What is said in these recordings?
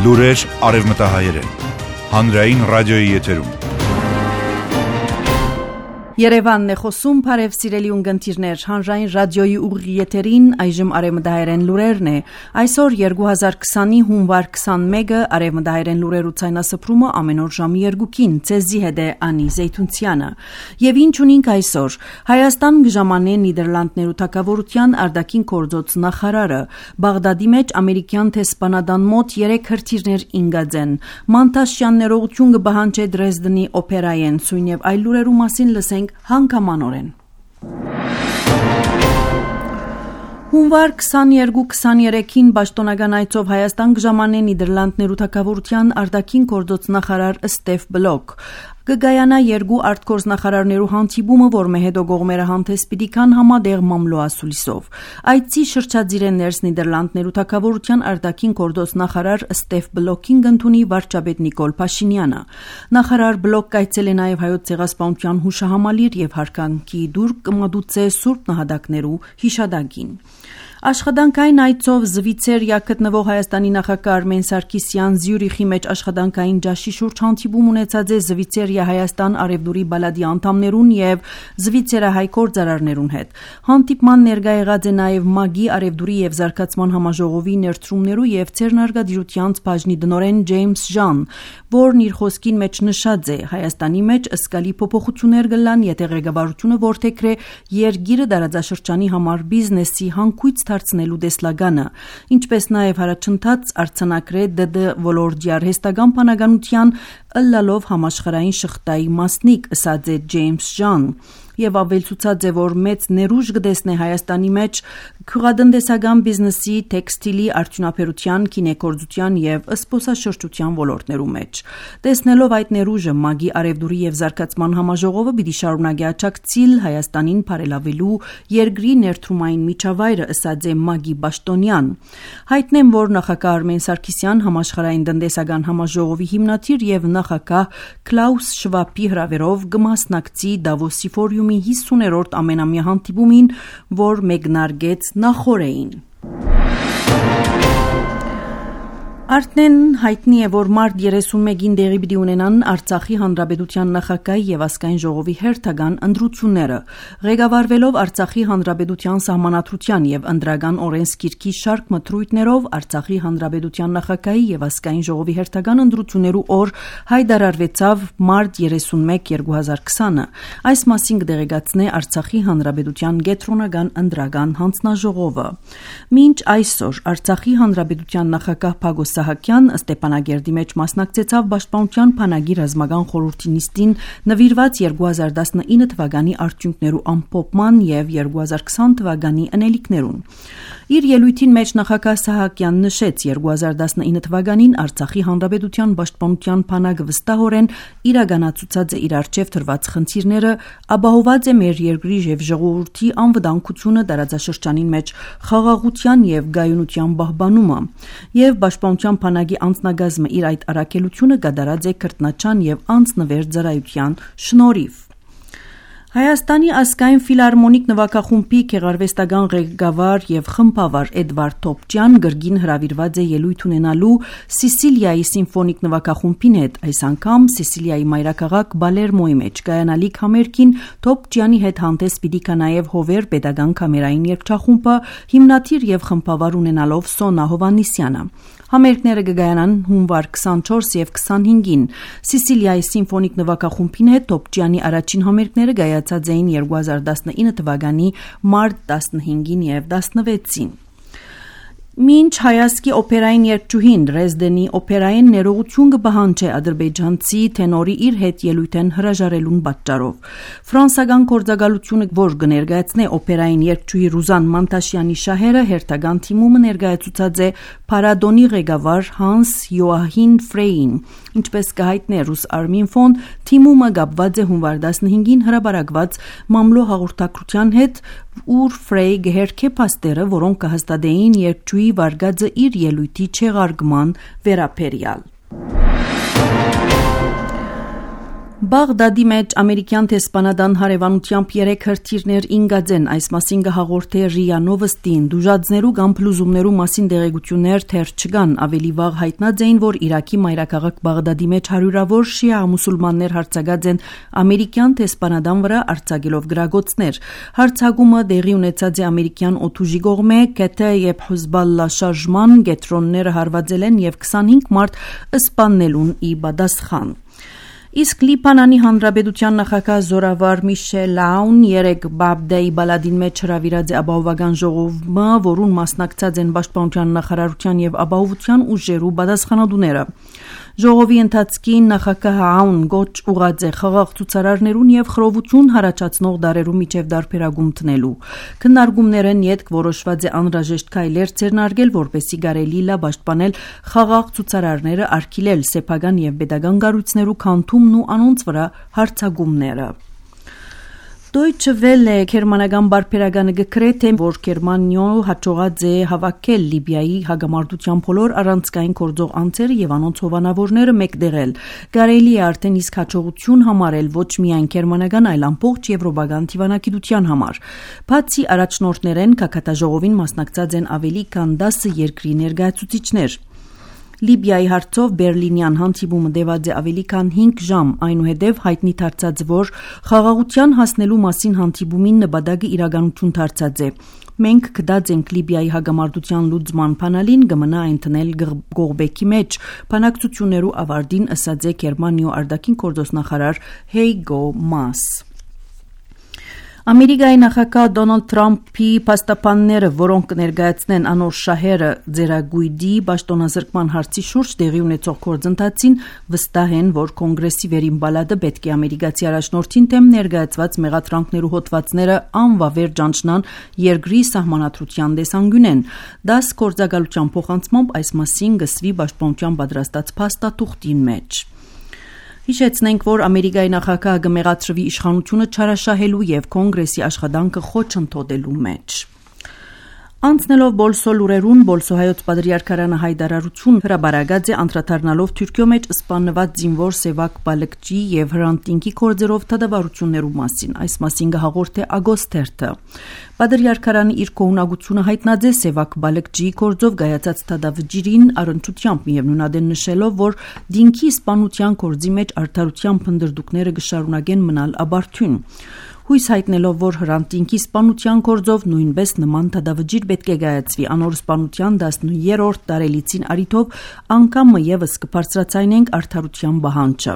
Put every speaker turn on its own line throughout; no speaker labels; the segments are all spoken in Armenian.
Լուրեր արևմտահայերեն, հանրային ռադիոյի եթերում։
Երևանն է խոսում, բարև սիրելի ունգընտիրներ, հանրային ռադիոյի ուղիղ եթերին այժմ արևմտահայերեն լուրերն է։ Այսօր 2020-ի հունվար 21-ը արևմտահայերեն լուրերու ցայնասփռումը ամեն օր ժամի 2-ին, ցեզի հետ է Անի Զեյթունցյանը։ Եվ ինչ ունենք այսօր։ Հայաստան գժամանե Նիդերլանդներու թագավորության արտաքին գործոց նախարարը Բաղդադի մեջ ամերիկյան տեսփանադան մոտ 3 հրթիռներ ինգածեն։ Մանտաշյան ներողություն կբահանջե Դրեզդենի օպերայեն, սույն եւ այլ լուրերու մասին լսենք հանգամանորեն։ Հունվար 22-23-ին պաշտոնական այցով Հայաստան կժամանե Նիդերլանդներու թագավորության արտաքին գործոց նախարար Ստեֆ Բլոկ կգայանա երկու արտգործնախարարներու հանդիպումը, որ մեհեդո գողմերը հանդես պիտի կան համադեղ մամլոասուլիսով։ Այցի շրջադիր է ներս Նիդերլանդներու թագավորության արտաքին գործոց նախարար Ստեֆ Բլոկին կընդունի վարչապետ Նիկոլ Փաշինյանը։ Նախարար Բլոկ կայցել է նաև հայոց ցեղասպանության հուշահամալիր եւ հարկանքի դուր կմատուցե Սուրբ նահատակներու հիշադակին։ Աշխատանքային այցով Զվիցերիա գտնվող Հայաստանի նախագահ Արմեն Սարգսյան Զյուրիխի մեջ աշխատանքային ջաշի շուրջ հանդիպում ունեցած է Զվիցերիա Հայաստան արևդուրի բալադի անդամներուն եւ Զվիցերահայ գործարարներուն հետ։ Հանդիպման ներկա եղած է նաեւ ՄԱԳ-ի արևդուրի եւ զարգացման համաժողովի ներդրումներու եւ ցերնարգադիրության բաժնի դնորեն Ջեյմս Ժան, որն իր խոսքին մեջ նշած է Հայաստանի մեջ ըսկալի փոփոխություններ կլան, եթե ղեկավարությունը որդեգրե երկիրը դարաձաշրջանի համար բիզնեսի հանգույց դարձնելու դեսլագանը, ինչպես նաև հարաճընթաց արձանագրե ԴԴ ոլորտի արհեստական բանականության ըլլալով համաշխարհային շղթայի մասնիկ, ըսած է Ջեյմս Ժան, եւ ավելցուցած է, որ մեծ ներուժ կտեսնե Հայաստանի մեջ քյուղատնտեսական բիզնեսի, տեքստիլի, արդյունաբերության, քինեգործության եւ զբոսաշրջության ոլորտներու մեջ։ Տեսնելով այդ ներուժը, ՄԱԳ-ի արևդուրի եւ զարգացման համաժողովը պիտի շարունակի աջակցել Հայաստանին բարելավելու երկրի ներդրումային միջավայրը, ըսած է ՄԱԳ-ի պաշտոնյան։ Հայտնեմ, որ նախագահ Արմեն Սարգսյան համաշխարհային տնտեսական համաժողովի հիմնադիր եւ նախագահ Քլաուս Շվաբի հրավերով կմասնակցի Դավոսի ֆորումի 50-րդ ամենամյա հանդիպումին, որ մեկնարկեց նախօրեին։ Արդեն հայտնի է, որ մարտ 31-ին դեղի պիտի ունենան Արցախի Հանրապետության նախագահի եւ ազգային ժողովի հերթական ընտրությունները։ Ղեկավարվելով Արցախի Հանրապետության սահմանադրության եւ ընտրական օրենսգիրքի շարք մթրույթներով Արցախի Հանրապետության նախագահի եւ ազգային ժողովի հերթական ընտրություններու օր հայտարարվեցավ մարտ 31 2020-ը։ Այս մասին կդեղեկացնե Արցախի Հանրապետության կենտրոնական ընտրական հանձնաժողովը։ Մինչ այսօր Արցախի Հանրապետության նախագահ Փագոս Սահակյան Ստեփանագերդի մեջ մասնակցեցավ Պաշտպանության բանակի ռազմական խորհրդի նիստին նվիրված 2019 թվականի արդյունքներու ամփոփման եւ 2020 թվականի անելիքներուն։ Իր ելույթին մեջ նախագահ Սահակյանն նշեց 2019 թվականին Արցախի Հանրապետության Պաշտպանության բանակը վստահորեն իրականացուցած է իր արչեւ դրված խնդիրները, ապահոված է մեր երկրի եւ ժողովրդի անվտանգությունը, տարածաշրջանին մեջ խաղաղության եւ գայունության պահպանումը եւ Պաշտպանության բանակի անձնագազմը իր այդ առաքելությունը կատարած է քրտնաչան եւ անձնվեր ծառայության շնորհիվ։ Հայաստանի ազգային ֆիլհարմոնիկ նվագախումբի գեղարվեստական ղեկավար եւ խմբավար Էդվարդ Թոփճյան գրգին հրավիրված է ելույթ ունենալու Սիսիլիայի սիմֆոնիկ նվագախումբին հետ, այս անգամ Սիսիլիայի մայրաքաղաք Բալերմոյի մեջ կայանալիք համերգին Թոփճյանի հետ հանդես պիտի կա նաեւ Հովեր պետական կամերային երգչախումբը, հիմնադիր եւ խմբավար ունենալով Սոնա Հովանիսյանը։ Համերգները կգայանան հունվար 24 եւ 25-ին։ Սիսիլիայի սիմֆոնիկ նվագախումբին հետ Թոփճյանի առաջին համերգները գայացած էին 2019 թվականի մարտ 15-ին եւ 16-ին։ Մինչ հայաստանի օպերային երգչուհին Դրեզդենի օպերային ներողություն կբահանջի ադրբեջանցի տենորի իր հետ ելույթեն հրաժարելուն պատճառով։ Ֆրանսական գործակալությունը, որ կներկայացնե օպերային երգչուհի Ռուզան Մանտաշյանի շահերը, հերթական թիմումը ներկայացուցած է Փարադոնի ղեկավար Հանս Յոահին Ֆրեյին։ Ինչպես կհայտնի ռուս Արմինֆոն, թիմումը կապված է հունվար 15-ին հրապարակված մամլո հաղորդակցության հետ, ուր Ֆրեյ գերքե փաստերը, որոնք կհաստատեին երգչուհի վարգածը իր ելույթի չեղարկման վերաբերյալ։ Բաղդադի մեջ ամերիկյան տեսփանադան հարևանությամբ 3 հրթիռներ ինգաձեն, այս մասին կհաղորդե ՌԻԱ Նովոստին, դուժածներու կամ փլուզումներու մասին դեղեցություններ թեր չկան, ավելի վաղ հայտնած էին, որ Իրաքի մայրաքաղաք Բաղդադի մեջ հարյուրավոր շիա մուսուլմաններ հարձակած են ամերիկյան տեսփանադան վրա արձակելով գրագոցներ։ Հարձակումը դեղի ունեցած է ամերիկյան օդուժի կողմէ, ԿՏ եւ Հեզբոլլա շարժման գետրոնները հարվածել են եւ 25 մարդ սպաննելուն ի պատասխան։ Իսկ Լիբանանի Հանրապետության նախագահ Զորավար Միշել Աուն 3 Բաբդեի բալադին մեջ հրավիրած է ապահովական ժողովը, որուն մասնակցած են Պաշտպանության նախարարության եւ ապահովության ուժերու պատասխանատուները։ Ժողովի ընթացքին նախագահ Աուն գոչ ուղղած է խաղաղ ցուցարարներուն եւ խռովություն հարաճացնող դարերու միջև դարբերագում տնելու։ Քննարկումներն յետք որոշված է անհրաժեշտ քայլեր ձեռնարկել, որպեսզի կարելի լա պաշտպանել խաղաղ ցուցարարները, արգելել սեփական եւ pedagogan կառույցներու քանդումն ու անոնց վրա հարձակումները։ Deutsche Welle գերմանական բարբերականը գրեթե որ Գերմանիոն հաջողած է հավաքել Լիբիայի հագամարտության բոլոր առանցքային գործող անձերը եւ անոնց հովանավորները մեկտեղել։ Կարելի է արդեն իսկ հաջողություն համարել ոչ միայն գերմանական, այլ ամբողջ եվրոպական դիվանագիտության համար։ Բացի առաջնորդներեն կակատաժողովին մասնակցած են ավելի քան 10 երկրի ներկայացուցիչներ։ Լիբիայի հարցով Բերլինյան հանդիպումը տևած է ավելի քան 5 ժամ, այնուհետև հայտնի դարձած, որ խաղաղության հասնելու մասին հանդիպումին նպատակը իրականություն դարձած է։ Մենք կդած ենք Լիբիայի հագամարտության լուծման փանալին կմնա այնտնել գողբեկի մեջ, բանակցություններու ավարտին ըսած է Գերմանիո արտաքին գործոստ նախարար Հեյգո Մաս։ Ամերիկայի նախագահ Դոնալդ Թրամփի փաստաբանները, որոնք կներկայացնեն անոր շահերը ձերագույդի պաշտոնազրկման հարցի շուրջ տեղի ունեցող գործընթացին, վստահ են, որ կոնգրեսի վերին պալատը պետք է ամերիկացի առաջնորդին դեմ ներկայացված մեղադրանքներու հոդվածները անվավեր ճանչնան երկրի սահմանադրության տեսանկյունեն։ 10 գործակալության փոխանցմամբ այս մասին գսվի պաշտպանության պատրաստած փաստաթուղթին մեջ։ Հիշեցնենք, որ Ամերիկայի նախագահը կմեղադրվի իշխանությունը չարաշահելու եւ կոնգրեսի աշխատանքը խոչընդոտելու մեջ։ Անցնելով Բոլսո լուրերուն, Բոլսո հայոց պատրիարքարանը հայտարարություն հրաբարացած է անդրադառնալով Թուրքիո մեջ սպանված զինվոր Սևակ Բալկջի եւ Հրանտինկի կորձերով դատավարություններու մասին։ Այս մասին կհաղորդե Ագոստերթը։ Պատրիարքարանը իր կողմնակությունը հայտնած է Սևակ Բալկջի կորձով գայացած դատավճիրին առընչությամբ միևնույնադեն նշելով, որ դինքի սպանության կորձի մեջ արդարության փնդրդուկները կշարունակեն մնալ աբարթյուն։ Հույս հայտնելով, որ Հրանտինկի սպանության գործով նույնպես նման դատավճիր պետք է գայացվի անոր սպանության 13-րդ տարելիցին արիթով անգամ եւս կբարձրացնենք արդարության բանջը։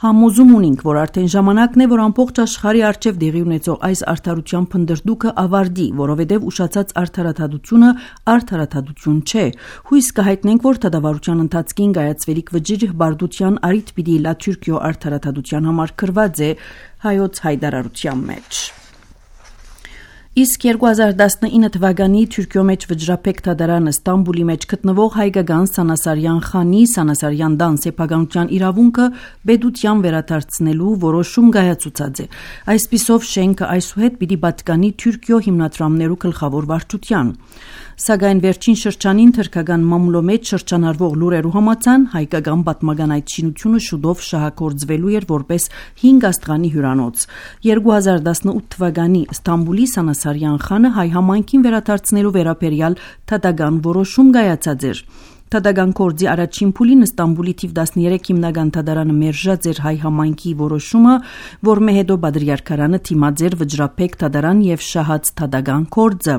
Համոզում ունենք, որ արդեն ժամանակն է, որ ամբողջ աշխարհի արչև դեղի ունեցող այս արդարության փնդրդուկը ավարտի, որովհետև ուշացած արդարադատությունը արդարադատություն չէ։ Հույս կհայտնենք, որ դատավարության ընթացքին գայացվելիք վճիռ բարդության արիթ պիտի լա Թուրքիո արդարադատության համար կրված է հայոց հայտարարության մեջ։ Իսկ 2019 թվականի Թուրքիո մեջ վճռապեկ դատարանը Ստամբուլի մեջ գտնվող հայկական Սանասարյան խանի Սանասարյան դան սեփականության իրավունքը պետության վերադարձնելու որոշում կայացուցած է։ Այսպիսով շենքը այսուհետ պիտի պատկանի Թուրքիո հիմնադրամներու գլխավոր վարչության։ Սակայն վերջին շրջանին թրքական մամուլո մեջ շրջանառվող լուրերու համաձայն հայկական պատմական այդ շինությունը շուտով շահագործվելու էր որպես 5 աստղանի հյուրանոց։ 2018 թվականի Ստամբուլի Սանասարյան խանը հայ համայնքին վերադարձնելու վերաբերյալ դատական որոշում կայացած էր։ Դատական կորձի առաջին փուլին Ստամբուլի թիվ 13 հիմնական դատարանը մերժած էր հայ համայնքի որոշումը, որմե հետո Պատրիարքարանը թիմած էր վճռապեկ դատարան եւ շահած դատական կորձը։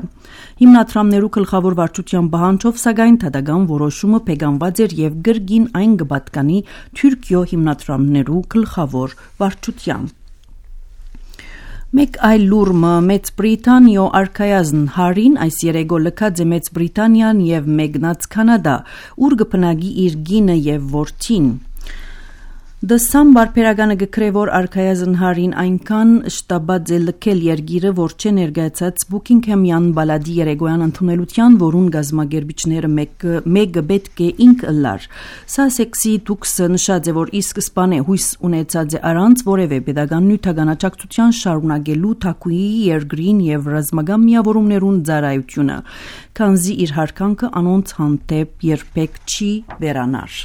Հիմնադրամներու գլխավոր վարչության բանջով սակայն դատական որոշումը փեգանված էր եւ գրգին այն կպատկանի Թուրքիո հիմնադրամներու գլխավոր վարչության։ Մեկ այլ լուրը Մեծ Բրիտանիո արքայազն Հարին այս երեգո լքած է Մեծ Բրիտանիան եւ մեկնած Կանադա, ուր կփնագի իր գինը եւ որդին։ Դասամ բարբերականը գկրե որ արքայազն Հարին այնքան շտաբած է լքել երգիրը, որ չէ ներկայացած Բուքինգհեմյան բալադի երեգոյան ընդունելության, որուն գազագերբիչները մեկը պետք է ինք ըլլար։ Սասեքսի դուքսը նշած է, որ ի սկզբանե հույս ունեցած է առանց որևէ pedagogan նյութական աջակցության շարունակելու Թակուի երկրին եւ ռազմական միավորումներուն ծառայությունը, քանզի իր հարկանքը անոնց հանդեպ երբեք չի վերանար։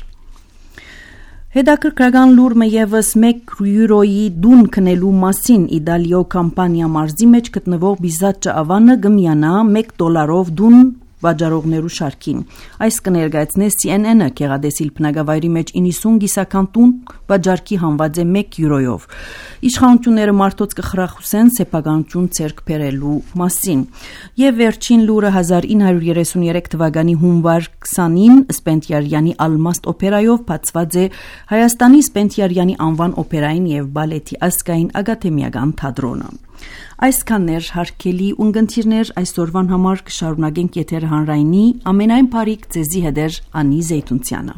Հետաքրքրական լուրը եւս 1 յուրոյի դուն քնելու մասին Իդալիո կամպանիա մարզի մեջ գտնվող Բիզաչչա ավանը գմյանա $1 դուն վաճառողներու շարքին։ Այս կներկայացնե CNN-ը Գեղադեսիլ բնակավայրի մեջ 90 գիսական տուն վաճառքի հանված է 1 յուրոյով։ Իշխանությունները մարդոց կխրախուսեն սեփականություն ցերկ բերելու մասին։ Եվ վերջին լուրը 1933 թվականի հունվար 20-ին Սպենդիարյանի Ալմաստ օպերայով բացված է Հայաստանի Սպենդիարյանի անվան օպերային եւ բալետի ազգային ակադեմիական թատրոնը։ Այսքաններ հարգելի ունգընտիրներ այսօրվան համար կշարունակենք եթերը հանրայինի ամենայն բարիք ձեզի հետ Անի Զեյթունցյանը։